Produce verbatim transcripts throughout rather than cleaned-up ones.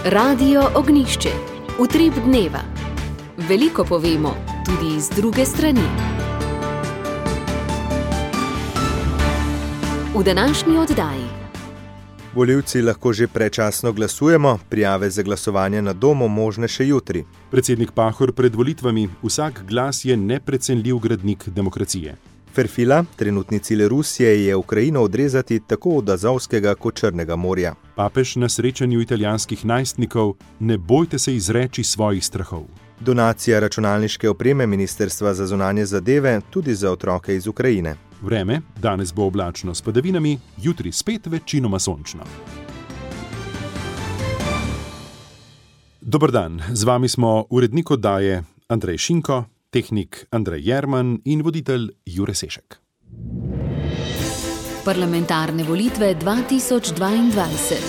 Radio Ognjišče, utrip dneva. Veliko povemo, tudi z druge strani. V današnji oddaji. Volivci lahko že predčasno glasujemo, prijave za glasovanje na domu možne še jutri. Predsednik Pahor pred volitvami: vsak glas je neprecenljiv gradnik demokracije. Ferfila, trenutni cilj Rusije je Ukrajino odrezati tako od Azovskega kot Črnega morja. Papež na srečanju italijanskih najstnikov: ne bojte se izreči svojih strahov. Donacija računalniške opreme Ministrstva za zunanje zadeve tudi za otroke iz Ukrajine. Vreme: danes bo oblačno s padavinami, jutri spet večinoma sončno. Dober dan, z vami smo urednik oddaje Andrej Šinko, tehnik Andrej Jerman in voditelj Jure Sešek. Parlamentarne volitve dva tisoč dvaindvajset.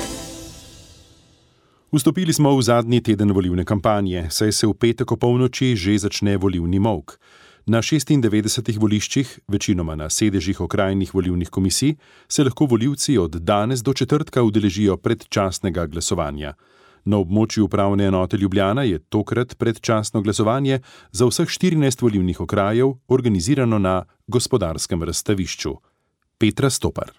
Vstopili smo v zadnji teden volilne kampanje, saj se v petek o polnoči že začne volilni molk. Na šestindevetdesetih voliščih, večinoma na sedežih okrajnih volilnih komisij, se lahko volivci od danes do četrtka udeležijo predčasnega glasovanja. Na območju upravne enote Ljubljana je tokrat predčasno glasovanje za vseh štirinajst volilnih okrajev organizirano na Gospodarskem razstavišču. Petra Stopar.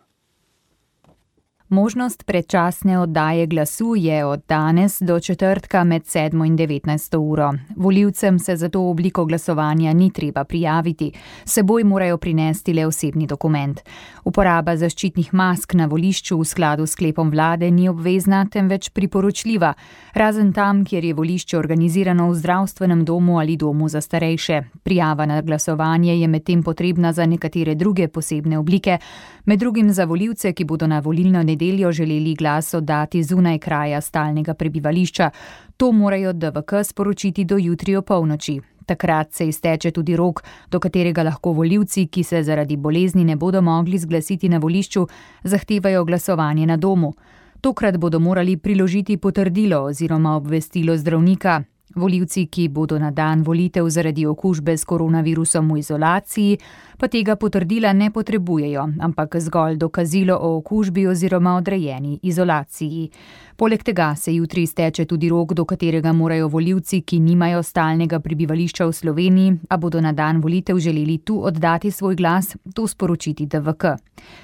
Možnost predčasne oddaje glasu je od danes do četrtka med sedmo in devetnajsto uro. Volivcem se za to obliko glasovanja ni treba prijaviti, s seboj morajo prinesti le osebni dokument. Uporaba zaščitnih mask na volišču v skladu s sklepom vlade ni obvezna, temveč priporočljiva, razen tam, kjer je volišče organizirano v zdravstvenem domu ali domu za starejše. Prijava na glasovanje je medtem potrebna za nekatere druge posebne oblike, med drugim za volivce, ki bodo na volilno nedeljo želeli glas oddati zunaj kraja stalnega prebivališča. To morajo D V K sporočiti do jutri o polnoči. Takrat se izteče tudi rok, do katerega lahko volivci, ki se zaradi bolezni ne bodo mogli zglasiti na volišču, zahtevajo glasovanje na domu. Tokrat bodo morali priložiti potrdilo oziroma obvestilo zdravnika. Volivci, ki bodo na dan volitev zaradi okužbe s koronavirusom v izolaciji, pa tega potrdila ne potrebujejo, ampak zgolj dokazilo o okužbi oziroma odrejeni izolaciji. Poleg tega se jutri izteče tudi rok, do katerega morajo volivci, ki nimajo stalnega prebivališča v Sloveniji, a bodo na dan volitev želeli tu oddati svoj glas, to sporočiti D V K.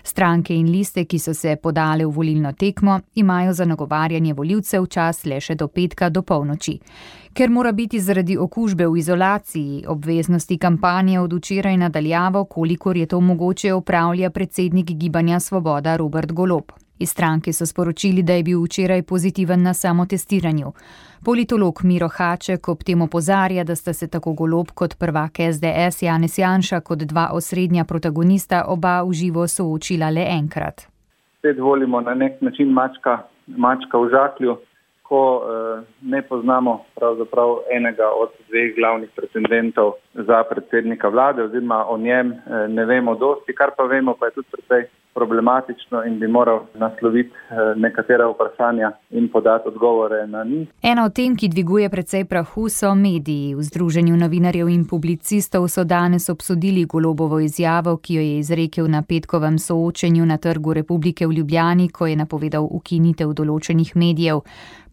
Stranke in liste, ki so se podale v volilno tekmo, imajo za nagovarjanje volivcev čas le še do petka do polnoči. Ker mora biti zaradi okužbe v izolaciji, obveznosti kampanje od včeraj nadaljavo, kolikor je to mogoče, opravlja predsednik Gibanja Svoboda Robert Golob. Iz stranke so sporočili, da je bil včeraj pozitiven na samotestiranju. Politolog Miro Haček ob tem opozarja, da sta se tako Golob kot prvak S D S Janez Janša kot dva osrednja protagonista oba v živo soočila le enkrat. Spet volimo na nek način mačka, mačka v žaklju, ko eh, ne poznamo pravzaprav enega od dveh glavnih pretendentov za predsednika vlade, oziroma o njem eh, ne vemo dosti, kar pa vemo, pa je tudi precej problematično in bi moral nasloviti nekatera vprašanja in podati odgovore na njih. Ena od tem, ki dviguje precej prahu, so mediji. V Združenju novinarjev in publicistov so danes obsodili Golobovo izjavo, ki jo je izrekel na petkovem soočenju na Trgu Republike v Ljubljani, ko je napovedal ukinitev določenih medijev.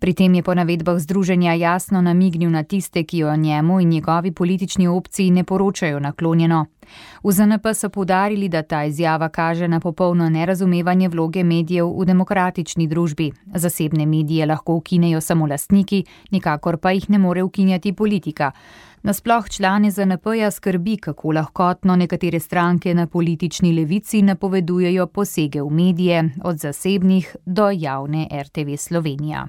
Pri tem je po navedbah združenja jasno namignil na tiste, ki o njemu in njegovi politični opciji ne poročajo naklonjeno. V Z N P so poudarili, da ta izjava kaže na popolno nerazumevanje vloge medijev v demokratični družbi. Zasebne medije lahko ukinejo samo lastniki, nikakor pa jih ne more ukinjati politika. Nasploh člane Z N P-ja skrbi, kako lahkotno nekatere stranke na politični levici napovedujejo posege v medije, od zasebnih do javne R T V Slovenija.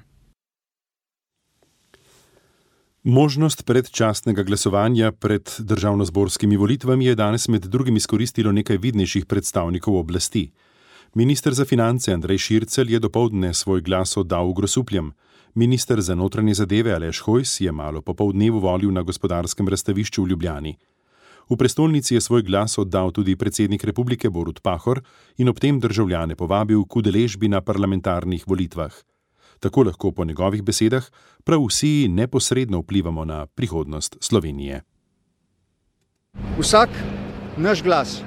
Možnost predčasnega glasovanja pred državnozborskimi volitvami je danes med drugim izkoristilo nekaj vidnejših predstavnikov oblasti. Minister za finance Andrej Šircelj je dopoldne svoj glas oddal v Grosupljem. Minister za notranje zadeve Aleš Hojs je malo po poldnevu volil na Gospodarskem razstavišču v Ljubljani. V prestolnici je svoj glas oddal tudi predsednik republike Borut Pahor in ob tem državljane povabil k udeležbi na parlamentarnih volitvah. Tako lahko po njegovih besedah prav vsi neposredno vplivamo na prihodnost Slovenije. Vsak naš glas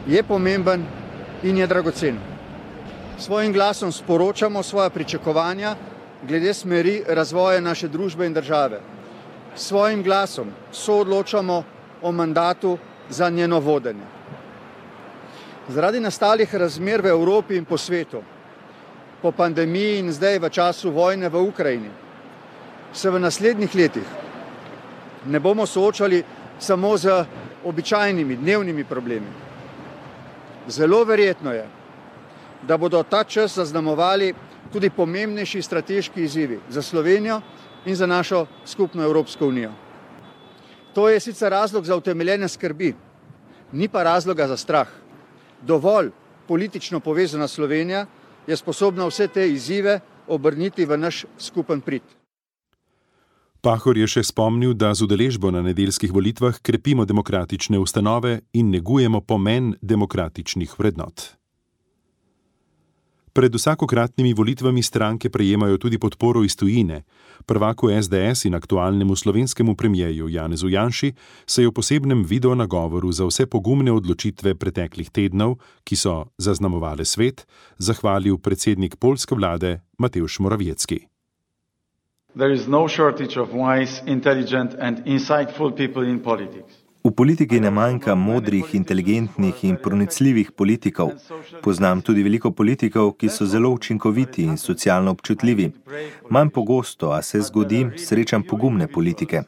je pomemben in je dragocen. S svojim glasom sporočamo svoja pričakovanja glede smeri razvoja naše družbe in države. S svojim glasom soodločamo o mandatu za njeno vodenje. Zaradi nastalih razmer v Evropi in po svetu, po pandemiji in zdaj v času vojne v Ukrajini, se v naslednjih letih ne bomo soočali samo z običajnimi dnevnimi problemi. Zelo verjetno je, da bodo ta čas zaznamovali tudi pomembnejši strateški izzivi za Slovenijo in za našo skupno Evropsko unijo. To je sicer razlog za utemeljene skrbi, ni pa razloga za strah. Dovolj politično povezana Slovenija je sposobna vse te izzive obrniti v naš skupen prid. Pahor je še spomnil, da z udeležbo na nedeljskih volitvah krepimo demokratične ustanove in negujemo pomen demokratičnih vrednot. Pred vsakokratnimi volitvami stranke prejemajo tudi podporo iz tujine. Prvaku S D S in aktualnemu slovenskemu premierju Janezu Janši se je v posebnem videonagovoru za vse pogumne odločitve preteklih tednov, ki so zaznamovale svet, zahvalil predsednik poljske vlade Mateusz Morawiecki. There is no shortage of wise, intelligent and insightful people in politics. V politiki ne manjka modrih, inteligentnih in pronicljivih politikov. Poznam tudi veliko politikov, ki so zelo učinkoviti in socialno občutljivi. Manj pogosto, a se zgodi, srečam pogumne politike.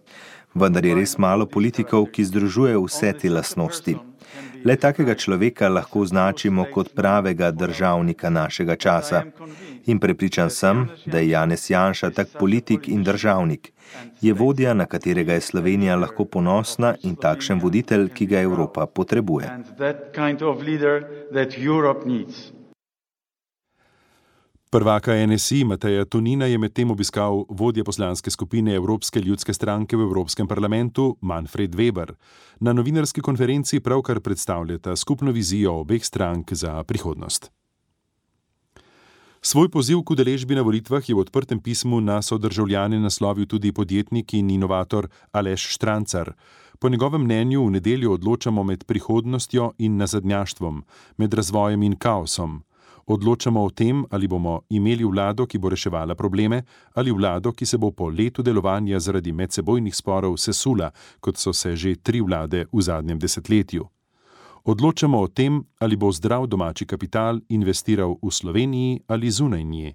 Vendar je res malo politikov, ki združujejo vse te lastnosti. Le takega človeka lahko označimo kot pravega državnika našega časa. In prepričan sem, da je Janez Janša tak politik in državnik. Je vodja, na katerega je Slovenija lahko ponosna in takšen voditelj, ki ga Evropa potrebuje. Prvaka N S I Mateja Tonina je medtem obiskal vodja poslanske skupine Evropske ljudske stranke v Evropskem parlamentu Manfred Weber. Na novinarski konferenci pravkar predstavljata skupno vizijo obeh strank za prihodnost. Svoj poziv k udeležbi na volitvah je v odprtem pismu na sodržavljane naslovil tudi podjetnik in inovator Aleš Štrancar. Po njegovem mnenju v nedeljo odločamo med prihodnostjo in nazadnjaštvom, med razvojem in kaosom. Odločamo o tem, ali bomo imeli vlado, ki bo reševala probleme, ali vlado, ki se bo po letu delovanja zaradi medsebojnih sporov sesula, kot so se že tri vlade v zadnjem desetletju. Odločamo o tem, ali bo zdrav domači kapital investiral v Sloveniji ali zunaj nje.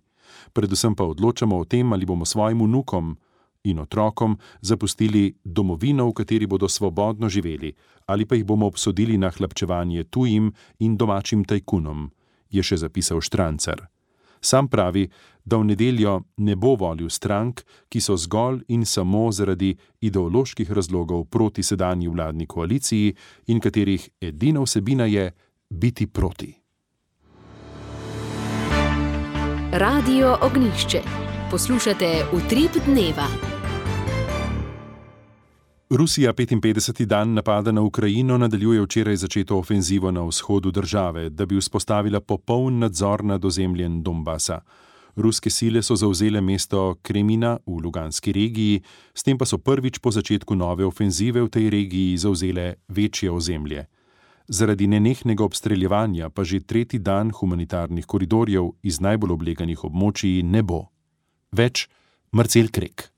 Predvsem pa odločamo o tem, ali bomo svojim vnukom in otrokom zapustili domovino, v kateri bodo svobodno živeli, ali pa jih bomo obsodili na hlapčevanje tujim in domačim tajkunom, je še zapisal Štrancar. Sam pravi, da v nedeljo ne bo volil strank, ki so zgolj in samo zaradi ideoloških razlogov proti sedanji vladni koaliciji in katerih edina vsebina je biti proti. Radio Ognjišče. Poslušate Utrip dneva. Rusija petinpetdeseti dan napada na Ukrajino nadaljuje včeraj začeto ofenzivo na vzhodu države, da bi vzpostavila popoln nadzor nad ozemljem Donbasa. Ruske sile so zavzele mesto Kremina v Luganski regiji, s tem pa so prvič po začetku nove ofenzive v tej regiji zavzele večje ozemlje. Zaradi nenehnega obstreljevanja pa že tretji dan humanitarnih koridorjev iz najbolj obleganih območij ne bo. Več Marcel Krek.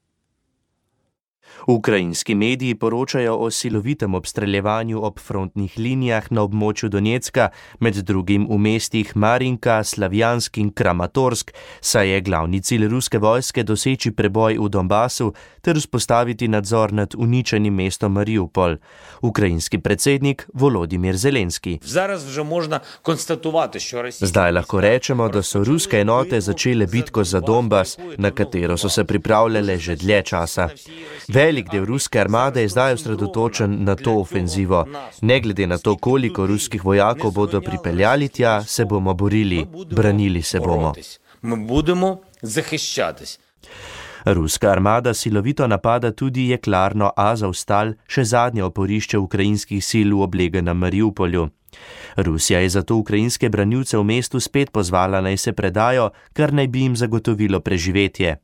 Ukrajinski mediji poročajo o silovitem obstreljevanju ob frontnih linijah na območju Donjecka, med drugim v mestih Marinka, Slavjansk in Kramatorsk, saj je glavni cilj ruske vojske doseči preboj v Donbasu ter vzpostaviti nadzor nad uničenim mestom Mariupol. Ukrajinski predsednik Volodimir Zelenski. Zdaj lahko rečemo, da so ruske enote začele bitko za Donbas, na katero so se pripravljale že dlje časa. Velik del ruske armade je zdaj osredotočen na to ofenzivo. Ne glede na to, koliko ruskih vojakov bodo pripeljali tja, se bomo borili, branili se bomo. Ruska armada silovito napada tudi jeklarno Azovstal, še zadnje oporišče ukrajinskih sil v obleganem Mariupolju. Rusija je zato ukrajinske branilce v mestu spet pozvala, naj se predajo, kar naj bi jim zagotovilo preživetje.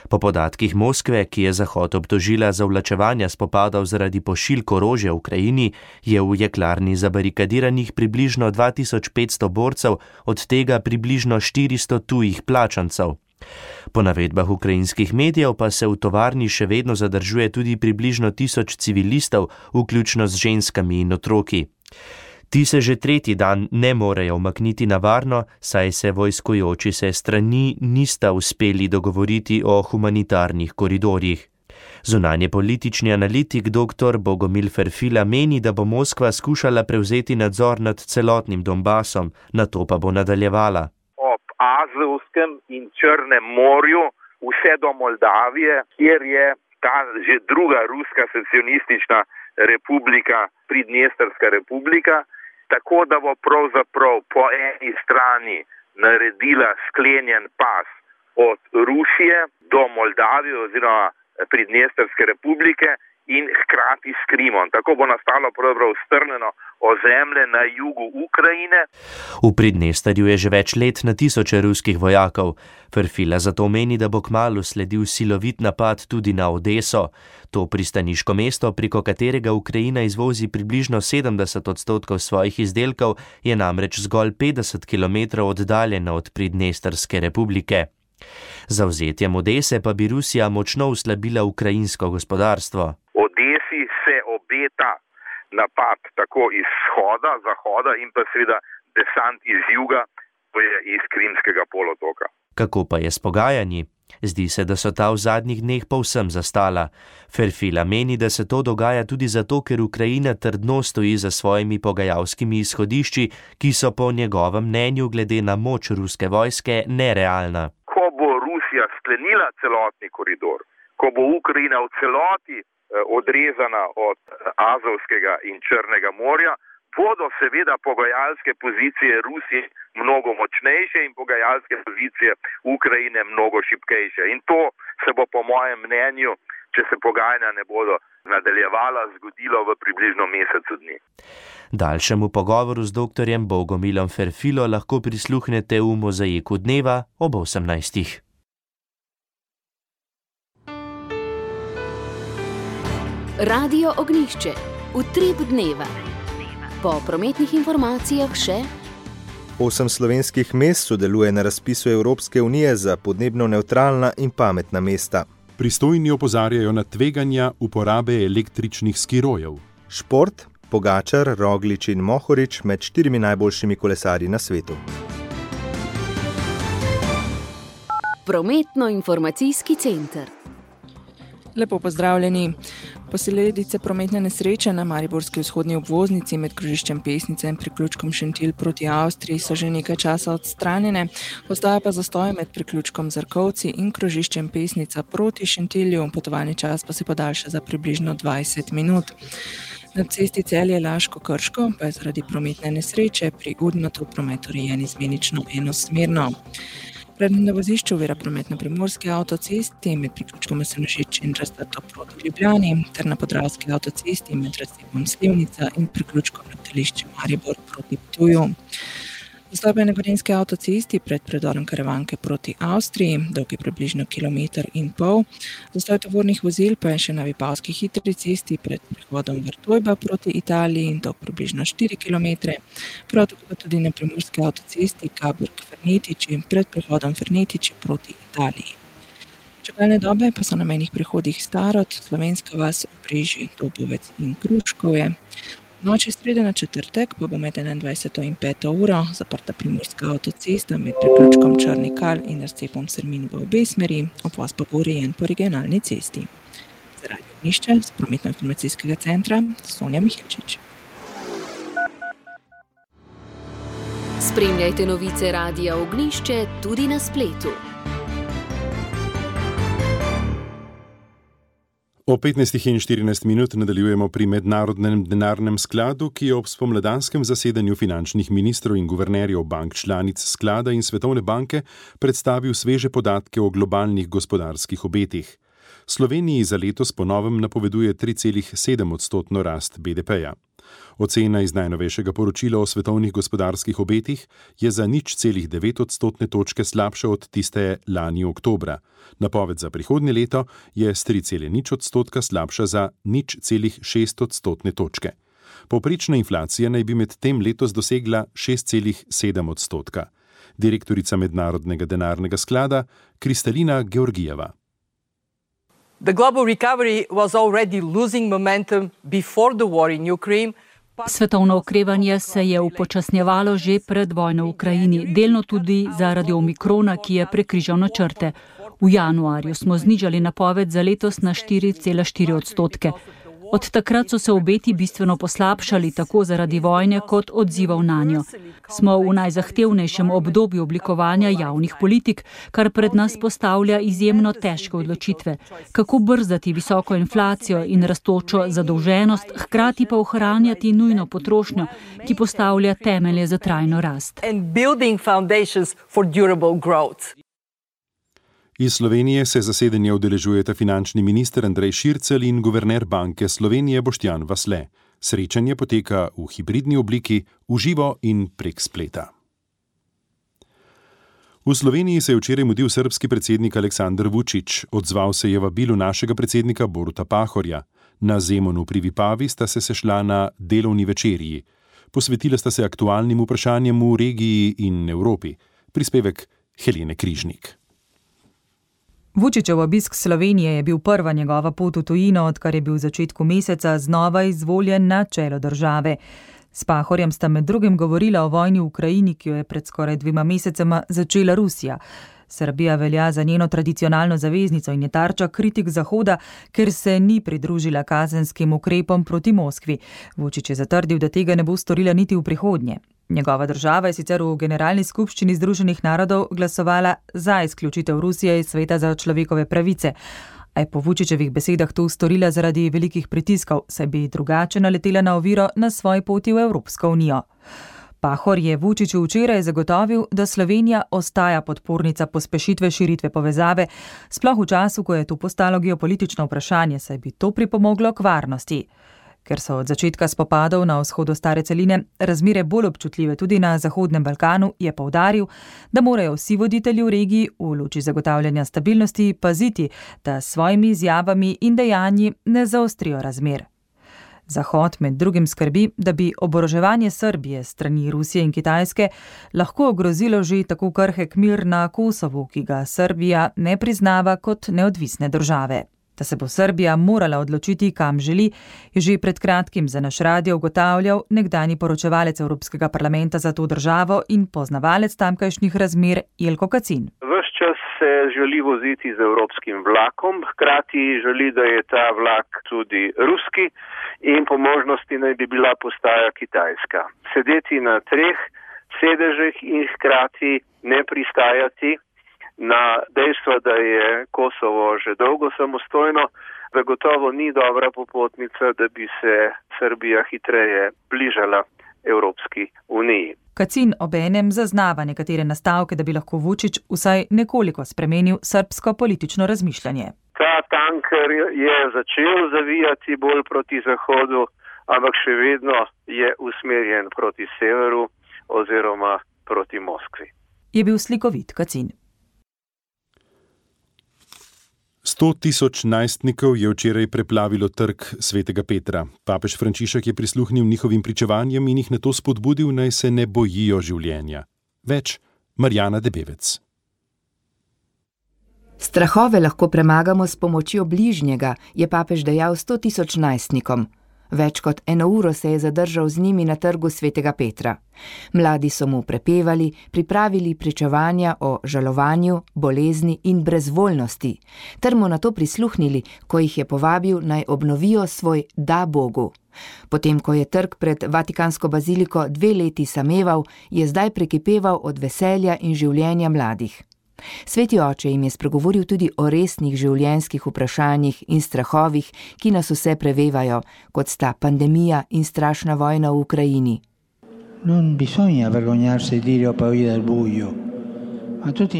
Po podatkih Moskve, ki je Zahod obtožila za vlačevanja spopadov zaradi pošiljk orožja v Ukrajini, je v jeklarni zabarikadiranih približno dva tisoč petsto borcev, od tega približno štiristo tujih plačancev. Po navedbah ukrajinskih medijev pa se v tovarni še vedno zadržuje tudi približno tisoč civilistov, vključno z ženskami in otroki. Ti se že tretji dan ne morejo umakniti na varno, saj se vojskujoči se strani nista uspeli dogovoriti o humanitarnih koridorjih. Zunanje politični analitik dr. Bogomil Ferfila meni, da bo Moskva skušala prevzeti nadzor nad celotnim Donbasom, nato pa bo nadaljevala. Ob Azovskem in Črnem morju vse do Moldavije, kjer je ta že druga ruska secesionistična republika, Pridnestrska republika, tako da bo pravzaprav po eni strani naredila sklenjen pas od Rusije do Moldavije oziroma Pridnestrske republike in hkrati s Krimom. Tako bo nastalo pravzaprav strnjeno ozemlje na jugu Ukrajine. V Pridnestrju je že več let na tisoče ruskih vojakov. Ferfila zato meni, da bo kmalu sledil silovit napad tudi na Odeso. To pristaniško mesto, preko katerega Ukrajina izvozi približno sedemdeset odstotkov svojih izdelkov, je namreč zgolj petdeset kilometrov oddaljeno od Pridnestrske republike. Z zavzetjem Odese pa bi Rusija močno oslabila ukrajinsko gospodarstvo. Odesi se obeta napad tako iz vzhoda, zahoda in pa seveda desant iz juga, to je iz Krimskega polotoka. Kako pa je s pogajanji? Zdi se, da so ta v zadnjih dneh povsem zastala. Ferfila meni, da se to dogaja tudi zato, ker Ukrajina trdno stoji za svojimi pogajalskimi izhodišči, ki so po njegovem mnenju glede na moč ruske vojske nerealna. Ko bo Rusija sklenila celotni koridor, ko bo Ukrajina v celoti odrezana od Azovskega in Črnega morja, bodo seveda pogajalske pozicije Rusije mnogo močnejše in pogajalske pozicije Ukrajine mnogo šibkejše. In to se bo po mojem mnenju, če se pogajanja ne bodo nadaljevala, zgodilo v približno mesecu dni. Daljšemu pogovoru z doktorjem Bogomilom Ferfilo lahko prisluhnete v Mozaiku dneva ob osemnajstih. Radio Ognjišče, utrip dneva. Po prometnih informacijah še: Osem slovenskih mest sodeluje na razpisu Evropske unije za podnebno nevtralna in pametna mesta. Pristojni opozarjajo na tveganja uporabe električnih skirojev. Šport, Pogačar, Roglič in Mohorič med štirimi najboljšimi kolesarji na svetu. Prometno-informacijski center. Lepo pozdravljeni. Posledice prometne nesreče na mariborski vzhodni obvoznici med krožiščem Pesnica in priključkom Šentilj proti Avstriji so že nekaj časa odstranjene, ostaja pa zastoj med priključkom Zarkovci in krožiščem Pesnica proti Šentilju, potovalni čas pa se podaljša za približno dvajset minut. Na cesti Celje-Laško-Krško pa je zaradi prometne nesreče pri Udmatu promet urejen izmenično enosmerno. Pred na vozišču ovira promet na Primorski avtocesti med priključkom Senožič in Rastato proti Ljubljani ter na Podravski avtocesti med razcepom Slivnica in priključkom letališče Maribor proti Ptuju. Zastoj pa je na Gorenjski avtocesti pred predorom Karavanke proti Avstriji, dolg je približno kilometer in pol. Zastoj tovornih vozil pa je še na Vipavski hitri cesti pred prehodom Vrtojba proti Italiji in dolg približno štiri kilometre. Prav tako pa tudi na Primorski avtocesti Kaburg-Fernetiči pred prehodom Fernetiči proti Italiji. Čakalne dobe pa so na mejnih prehodih Starod, Slovenska vas, Obrežje, Dobovec in Kruškovje. V noči srede na četrtek pa bo med enaindvajseto in peto uro zaprta Primorska avtocesta med priključkom Črni Kal in razcepom Sermin v obe smeri, obvoz pa bo urejen po regionalni cesti. Za Radio Ognjišče z prometno-informacijskega centra Sonja Mihilčič. Spremljajte novice Radia Ognjišče tudi na spletu. O petnajstih in štirinajst minut nadaljujemo pri Mednarodnem denarnem skladu, ki je ob spomladanskem zasedanju finančnih ministrov in guvernerjev bank članic sklada in Svetovne banke predstavil sveže podatke o globalnih gospodarskih obetih. Sloveniji za letos po novem napoveduje tri celih sedem odstotno rast B D P-ja. Ocena iz najnovejšega poročila o svetovnih gospodarskih obetih je za nič celih devet odstotne točke slabša od tiste lani oktobra. Napoved za prihodnje leto je s tri celih nič odstotka slabša za nič celih šest odstotne točke. Povprečna inflacija naj bi med tem letos dosegla šest celih sedem odstotka. direktorica Mednarodnega denarnega sklada Kristalina Georgijeva. The global recovery was already losing momentum before the war in Ukraine. Svetovno okrevanje se je upočasnjevalo že pred vojno v Ukrajini, delno tudi zaradi omikrona, ki je prekrižal načrte. V januarju smo znižali napoved za letos na štiri cela štiri odstotke. Od takrat so se obeti bistveno poslabšali, tako zaradi vojne kot odzivov nanjo. Smo v najzahtevnejšem obdobju oblikovanja javnih politik, kar pred nas postavlja izjemno težke odločitve. Kako brzdati visoko inflacijo in rastočo zadolženost, hkrati pa ohranjati nujno potrošnjo, ki postavlja temelje za trajno rast. Iz Slovenije se zasedanja udeležujeta finančni minister Andrej Šircelj in guverner Banke Slovenije Boštjan Vasle. Srečanje poteka v hibridni obliki, v živo in prek spleta. V Sloveniji se je včeraj mudil srbski predsednik Aleksandar Vučić. Odzval se je vabilu našega predsednika Boruta Pahorja. Na Zemunu pri Vipavi sta se sešla na delovni večerji. Posvetila sta se aktualnim vprašanjem v regiji in Evropi. Prispevek Helene Križnik. Vučićev obisk Slovenije je bil prva njegova pot v tujino, odkar je bil v začetku meseca znova izvoljen na čelo države. S Pahorjem sta med drugim govorila o vojni v Ukrajini, ki jo je pred skoraj dvema mesecema začela Rusija. Srbija velja za njeno tradicionalno zaveznico in je tarča kritik Zahoda, ker se ni pridružila kazenskim ukrepom proti Moskvi. Vučić je zatrdil, da tega ne bo storila niti v prihodnje. Njegova država je sicer v Generalni skupščini Združenih narodov glasovala za izključitev Rusije iz Sveta za človekove pravice, a je po Vučićevih besedah to storila zaradi velikih pritiskov, saj bi drugače naletela na oviro na svoji poti v Evropsko unijo. Pahor je Vučiću včeraj zagotovil, da Slovenija ostaja podpornica pospešitve širitve povezave, sploh v času, ko je to postalo geopolitično vprašanje, saj bi to pripomoglo k varnosti. Ker so od začetka spopadov na vzhodu stare celine razmere bolj občutljive tudi na Zahodnem Balkanu, je poudaril, da morajo vsi voditelji v regiji v luči zagotavljanja stabilnosti paziti, da s svojimi izjavami in dejanji ne zaostrijo razmer. Zahod med drugim skrbi, da bi oboroževanje Srbije strani Rusije in Kitajske lahko ogrozilo že tako krhek mir na Kosovu, ki ga Srbija ne priznava kot neodvisne države. Da se bo Srbija morala odločiti, kam želi, je že pred kratkim za naš radio ugotavljal nekdanji poročevalec Evropskega parlamenta za to državo in poznavalec tamkajšnjih razmer Jelko Kacin. Ves čas se želi voziti z evropskim vlakom, hkrati želi, da je ta vlak tudi ruski in po možnosti naj bi bila postaja kitajska. Sedeti na treh sedežih in hkrati ne pristajati na dejstvo, da je Kosovo že dolgo samostojno, zagotovo ni dobra popotnica, da bi se Srbija hitreje bližala Evropski uniji. Kacin obenem zaznava nekatere nastavke, da bi lahko Vučić vsaj nekoliko spremenil srbsko politično razmišljanje. Ta tanker je začel zavijati bolj proti zahodu, ampak še vedno je usmerjen proti severu oziroma proti Moskvi. Je bil slikovit Kacin. Sto tisoč najstnikov je včeraj preplavilo trg Svetega Petra. Papež Frančišek je prisluhnil njihovim pričevanjem in jih nato spodbudil, naj se ne bojijo življenja. Več Marjana Debevec. Strahove lahko premagamo s pomočjo bližnjega, je papež dejal sto tisoč najstnikom. Več kot eno uro se je zadržal z njimi na trgu Svetega Petra. Mladi so mu prepevali, pripravili pričevanja o žalovanju, bolezni in brezvoljnosti, ter mu nato prisluhnili, ko jih je povabil, naj obnovijo svoj da Bogu. Potem, ko je trg pred Vatikansko baziliko dve leti sameval, je zdaj prekipeval od veselja in življenja mladih. Sveti oče jim je spregovoril tudi o resnih življenjskih vprašanjih in strahovih, ki nas vse prevevajo, kot sta pandemija in strašna vojna v Ukrajini.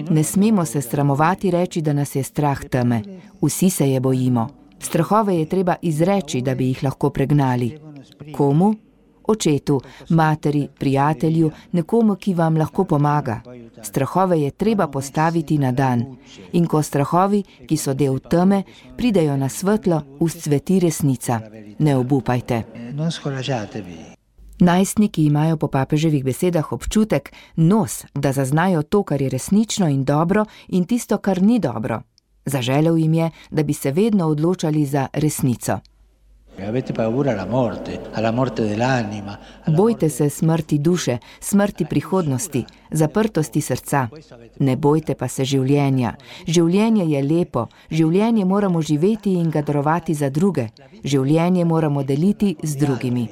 Ne smemo se sramovati reči, da nas je strah teme. Vsi se je bojimo. Strahove je treba izreči, da bi jih lahko pregnali. Komu? Očetu, materi, prijatelju, nekomu, ki vam lahko pomaga. Strahove je treba postaviti na dan. In ko strahovi, ki so del teme, pridejo na svetlo, vzcveti resnica. Ne obupajte. Najstniki imajo po papeževih besedah občutek, nos, da zaznajo to, kar je resnično in dobro, in tisto, kar ni dobro. Zaželel jim je, da bi se vedno odločali za resnico. Bojte se smrti duše, smrti prihodnosti, zaprtosti srca. Ne bojte pa se življenja. Življenje je lepo, življenje moramo živeti in ga darovati za druge. Življenje moramo deliti z drugimi.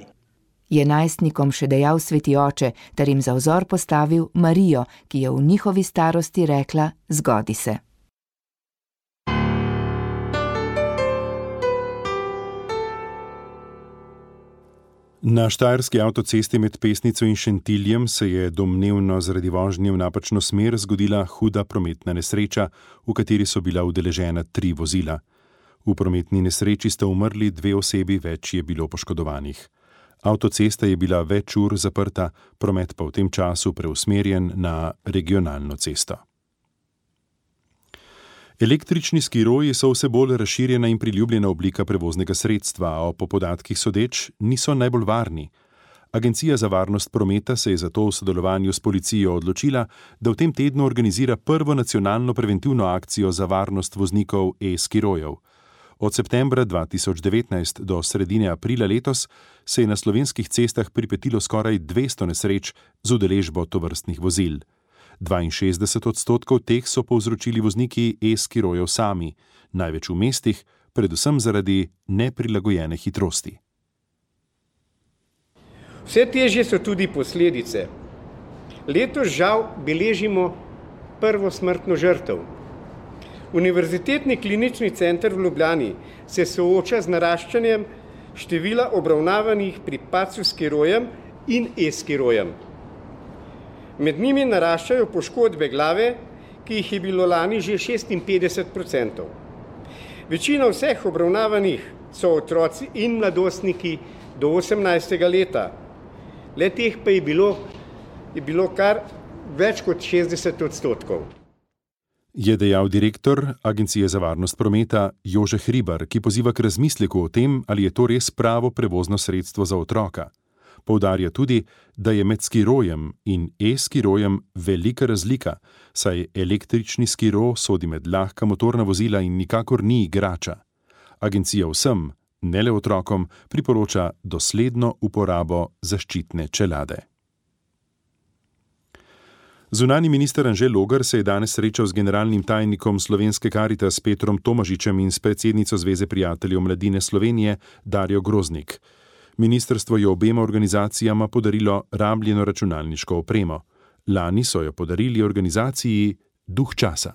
Je najstnikom še dejal sveti oče, ter jim za vzor postavil Marijo, ki je v njihovi starosti rekla: zgodi se. Na štajerski avtocesti med Pesnico in Šentiljem se je domnevno zaradi vožnje v napačno smer zgodila huda prometna nesreča, v kateri so bila udeležena tri vozila. V prometni nesreči sta umrli dve osebi, več je bilo poškodovanih. Avtocesta je bila več ur zaprta, promet pa v tem času preusmerjen na regionalno cesto. Električni skiroji so vse bolj razširjena in priljubljena oblika prevoznega sredstva, a po podatkih sodeč niso najbolj varni. Agencija za varnost prometa se je zato v sodelovanju s policijo odločila, da v tem tednu organizira prvo nacionalno preventivno akcijo za varnost voznikov e-skirojev. Od septembra dva tisoč devetnajst do sredine aprila letos se je na slovenskih cestah pripetilo skoraj dvesto nesreč z udeležbo tovrstnih vozil. dvainšestdeset odstotkov teh so povzročili vozniki e-skirojev sami, največ v mestih, predvsem zaradi neprilagojene hitrosti. Vse težje so tudi posledice. Letos žal beležimo prvo smrtno žrtev. Univerzitetni klinični center v Ljubljani se sooča z naraščanjem števila obravnavanih pri padcu skirojem in e-skirojem. Med njimi naraščajo poškodbe glave, ki jih je bilo lani že šestinpetdeset odstotkov. Večina vseh obravnavanih so otroci in mladostniki do osemnajstega leta. Le teh pa je bilo, je bilo kar več kot šestdeset odstotkov. Je dejal direktor Agencije za varnost prometa Jože Hribar, ki poziva k razmisleku o tem, ali je to res pravo prevozno sredstvo za otroka. Poudarja tudi, da je med skirojem in e-skirojem velika razlika, saj električni skiro sodi med lahka motorna vozila in nikakor ni igrača. Agencija vsem, ne le otrokom, priporoča dosledno uporabo zaščitne čelade. Zunanji minister Anže Logar se je danes srečal z generalnim tajnikom Slovenske Karitas Petrom Tomažičem in s predsednico Zveze prijateljev mladine Slovenije Darjo Groznik. Ministrstvo je obema organizacijama podarilo rabljeno računalniško opremo. Lani so jo podarili organizaciji Duh časa.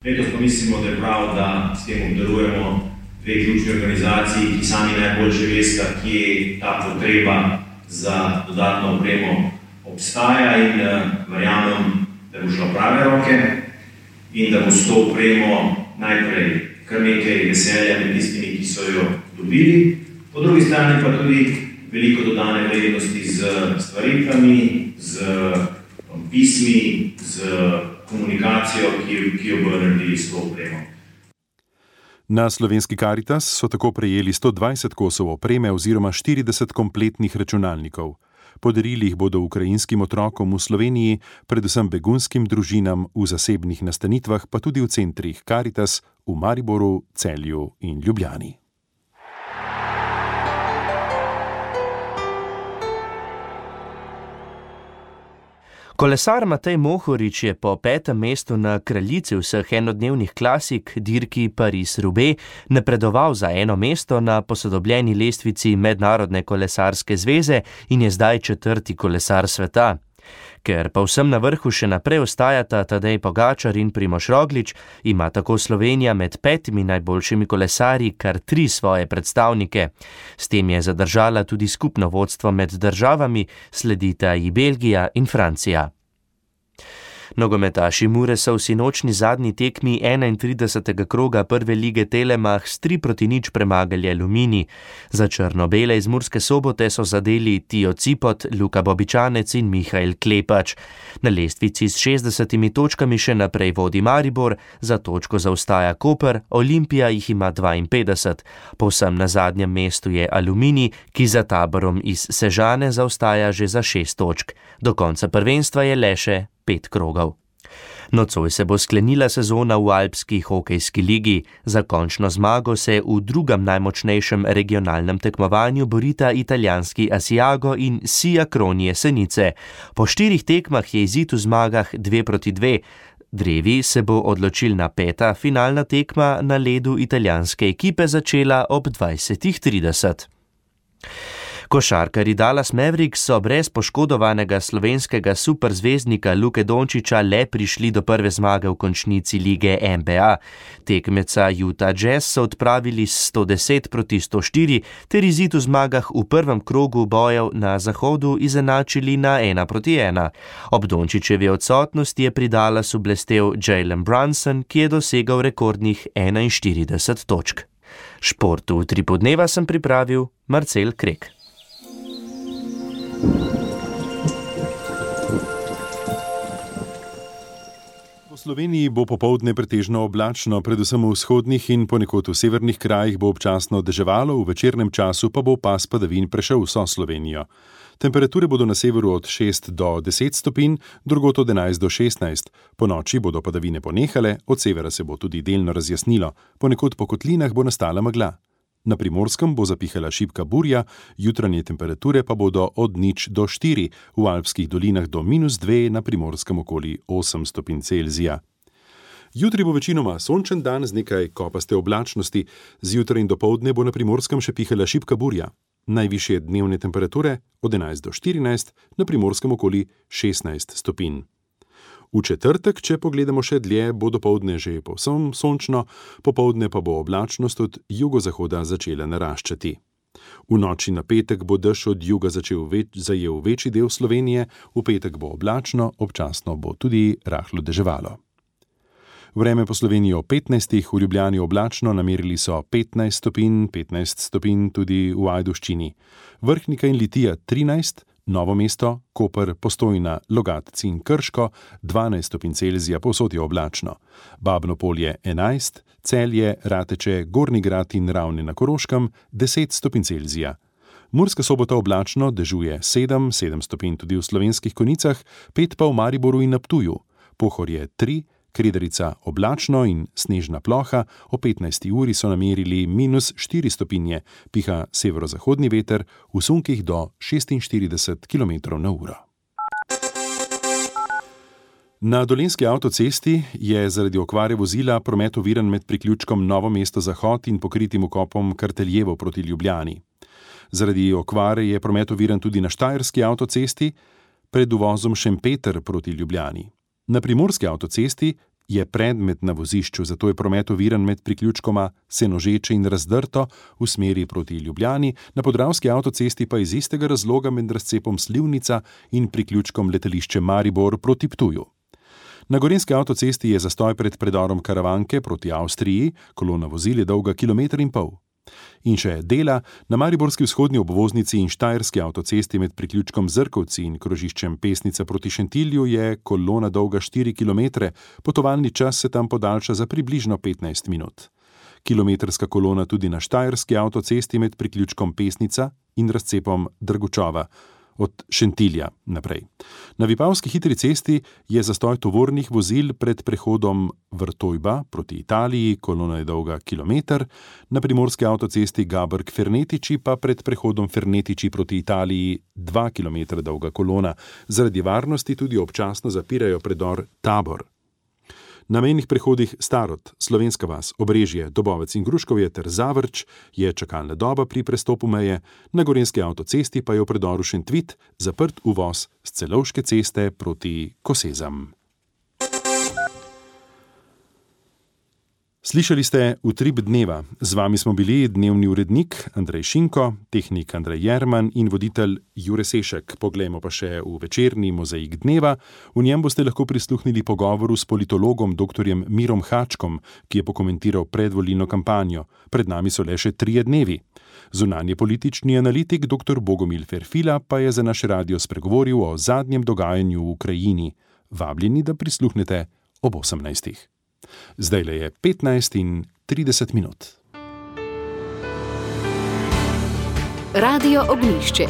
Letos pa mislimo, da je prav, da s tem obdarujemo dve ključni organizaciji, ki sami najboljše veste, kje ta potreba za dodatno opremo obstaja, in uh, verjamem, da bo šlo prave roke in da bo s to opremo najprej kar nekaj veselja med tistimi, ki so jo dobili. Po drugi strani pa tudi veliko dodane vrednosti z stvaritvami, z pismi, z komunikacijo, ki, ki jo bodo naredili s to opremo. Na Slovenski Karitas so tako prejeli sto dvajset kosov opreme oziroma štirideset kompletnih računalnikov. Podarili jih bodo ukrajinskim otrokom v Sloveniji, predvsem begunskim družinam v zasebnih nastanitvah, pa tudi v centrih Karitas v Mariboru, Celju in Ljubljani. Kolesar Matej Mohorič je po petem mestu na kraljici vseh enodnevnih klasik dirki Paris-Roubaix napredoval za eno mesto na posodobljeni lestvici Mednarodne kolesarske zveze in je zdaj četrti kolesar sveta. Ker pa vsem na vrhu še naprej ostajata Tadej Pogačar in Primož Roglič, ima tako Slovenija med petimi najboljšimi kolesarji kar tri svoje predstavnike. S tem je zadržala tudi skupno vodstvo med državami, sledita ji Belgija in Francija. Nogometaši Mure so v sinočni zadnji tekmi enaintridesetega kroga prve lige Telemach s tri proti nič premagali Aluminij. Za črno-bele iz Murske Sobote so zadeli Tijo Cipot, Luka Bobičanec in Mihael Klepač. Na lestvici s šestdesetimi točkami še naprej vodi Maribor, za točko zaostaja Koper, Olimpija jih ima dvainpetdeset. Povsem na zadnjem mestu je Aluminij, ki za Taborom iz Sežane zaostaja že za šest točk. Do konca prvenstva je le še pet krogov. Nocoj se bo sklenila sezona v Alpski hokejski ligi. Za končno zmago se v drugem najmočnejšem regionalnem tekmovanju borita italijanski Asiago in Sia Kron Jesenice. Po štirih tekmah je izid v zmagah dve proti dve. Drevi se bo odločilna peta finalna tekma na ledu italijanske ekipe začela ob dvajsetih trideset. Košarkarji Dallas Mavericks so brez poškodovanega slovenskega superzvezdnika Luke Dončića le prišli do prve zmage v končnici lige N B A. Tekmeca Utah Jazz so odpravili s sto deset proti sto štiri ter izid v zmagah v prvem krogu bojev na zahodu izenačili na ena proti ena. Ob Dončićevi odsotnosti je pri Dallasu blestel Jalen Brunson, ki je dosegal rekordnih enainštirideset točk. Šport v Utripu dneva sem pripravil Marcel Krek. V Sloveniji bo popoldne pretežno oblačno, predvsem v vzhodnih in ponekod v severnih krajih bo občasno deževalo, v večernem času pa bo pas padavin prešel vso Slovenijo. Temperature bodo na severu od šest do deset stopinj, drugod od enajst do šestnajst. Po noči bodo padavine ponehale, od severa se bo tudi delno razjasnilo, ponekod po kotlinah bo nastala megla. Na Primorskem bo zapihala šibka burja, jutranje temperature pa bodo od nič do štiri, v alpskih dolinah do minus dve, na Primorskem okoli osem stopinj Celzija. Jutri bo večinoma sončen dan z nekaj kopaste oblačnosti, zjutraj in dopoldne bo na Primorskem še pihala šibka burja. Najvišje dnevne temperature od enajst do štirinajst, na Primorskem okoli šestnajst stopinj. V četrtek, če pogledamo še dlje, bo dopoldne že povsem sončno, popoldne pa bo oblačnost od jugozahoda začela naraščati. V noči na petek bo dež od juga začel več, zajel večji del Slovenije, v petek bo oblačno, občasno bo tudi rahlo deževalo. Vreme po Sloveniji o petnajstih, v Ljubljani oblačno, namerili so petnajst stopinj, petnajst stopinj tudi v Ajdovščini. Vrhnika in Litija trinajst, Novo mesto, Koper, Postojna, Logatci in Krško, dvanajst stopinj Celzija, povsod je oblačno. Babno Polje enajst, Celje, Rateče, Gornji Grad in Ravne na Koroškem, deset stopinj Celzija. Murska Sobota oblačno, dežuje sedem, sedem stopinj tudi v Slovenskih Konjicah, pet pa v Mariboru in na Ptuju. Pohorje tri, Kredarica oblačno in snežna ploha, o petnajsti uri so namerili minus štiri stopinje, piha severozahodni veter v sunkih do šestinštirideset kilometrov na uro. Na Dolenjski avtocesti je zaradi okvare vozila promet oviran med priključkom Novo mesto Zahod in pokritim vkopom Karteljevo proti Ljubljani. Zaradi okvare je promet oviran tudi na Štajerski avtocesti pred uvozom Šempeter proti Ljubljani. Na Primorski avtocesti je predmet na vozišču, zato je promet oviran med priključkoma Senožeče in Razdrto v smeri proti Ljubljani, na Podravski avtocesti pa iz istega razloga med razcepom Slivnica in priključkom letališče Maribor proti Ptuju. Na Gorenjski avtocesti je zastoj pred predorom Karavanke proti Avstriji, kolona vozil je dolga kilometer in pol. In še dela, na Mariborski vzhodni obvoznici in Štajerski avtocesti med priključkom Zrkovci in krožiščem Pesnica proti Šentilju je kolona dolga štiri kilometre, potovalni čas se tam podaljša za približno petnajst minut. Kilometrska kolona tudi na Štajerski avtocesti med priključkom Pesnica in razcepom Drgučova od Šentilja naprej. Na Vipavski hitri cesti je zastoj tovornih vozil pred prehodom Vrtojba proti Italiji, kolona je dolga kilometer, na Primorski avtocesti Gabrk-Fernetiči pa pred prehodom Fernetiči proti Italiji dva kilometra dolga kolona. Zaradi varnosti tudi občasno zapirajo predor Tabor. Na mejnih prehodih Starod, Slovenska vas, Obrežje, Dobovec in Gruškovje ter Zavrč je čakalna doba pri prestopu meje, na Gorenjski avtocesti pa je v predoru Šentvit zaprt uvoz s Celovške ceste proti Kosezam. Slišali ste Utrip dneva. Z vami smo bili dnevni urednik Andrej Šinko, tehnik Andrej Jerman in voditelj Jure Sešek. Poglejmo pa še v večerni mozaik dneva. V njem boste lahko prisluhnili pogovoru s politologom doktorjem Mirom Hačkom, ki je pokomentiral predvolilno kampanjo. Pred nami so le še trije dnevi. Zunanje politični analitik doktor Bogomil Ferfila pa je za naš radio spregovoril o zadnjem dogajanju v Ukrajini. Vabljeni, da prisluhnete ob osemnajstih. Zdajle je petnajst in trideset minut. Radio Ognjišče.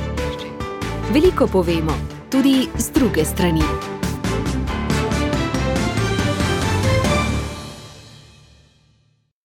Veliko povemo, tudi z druge strani.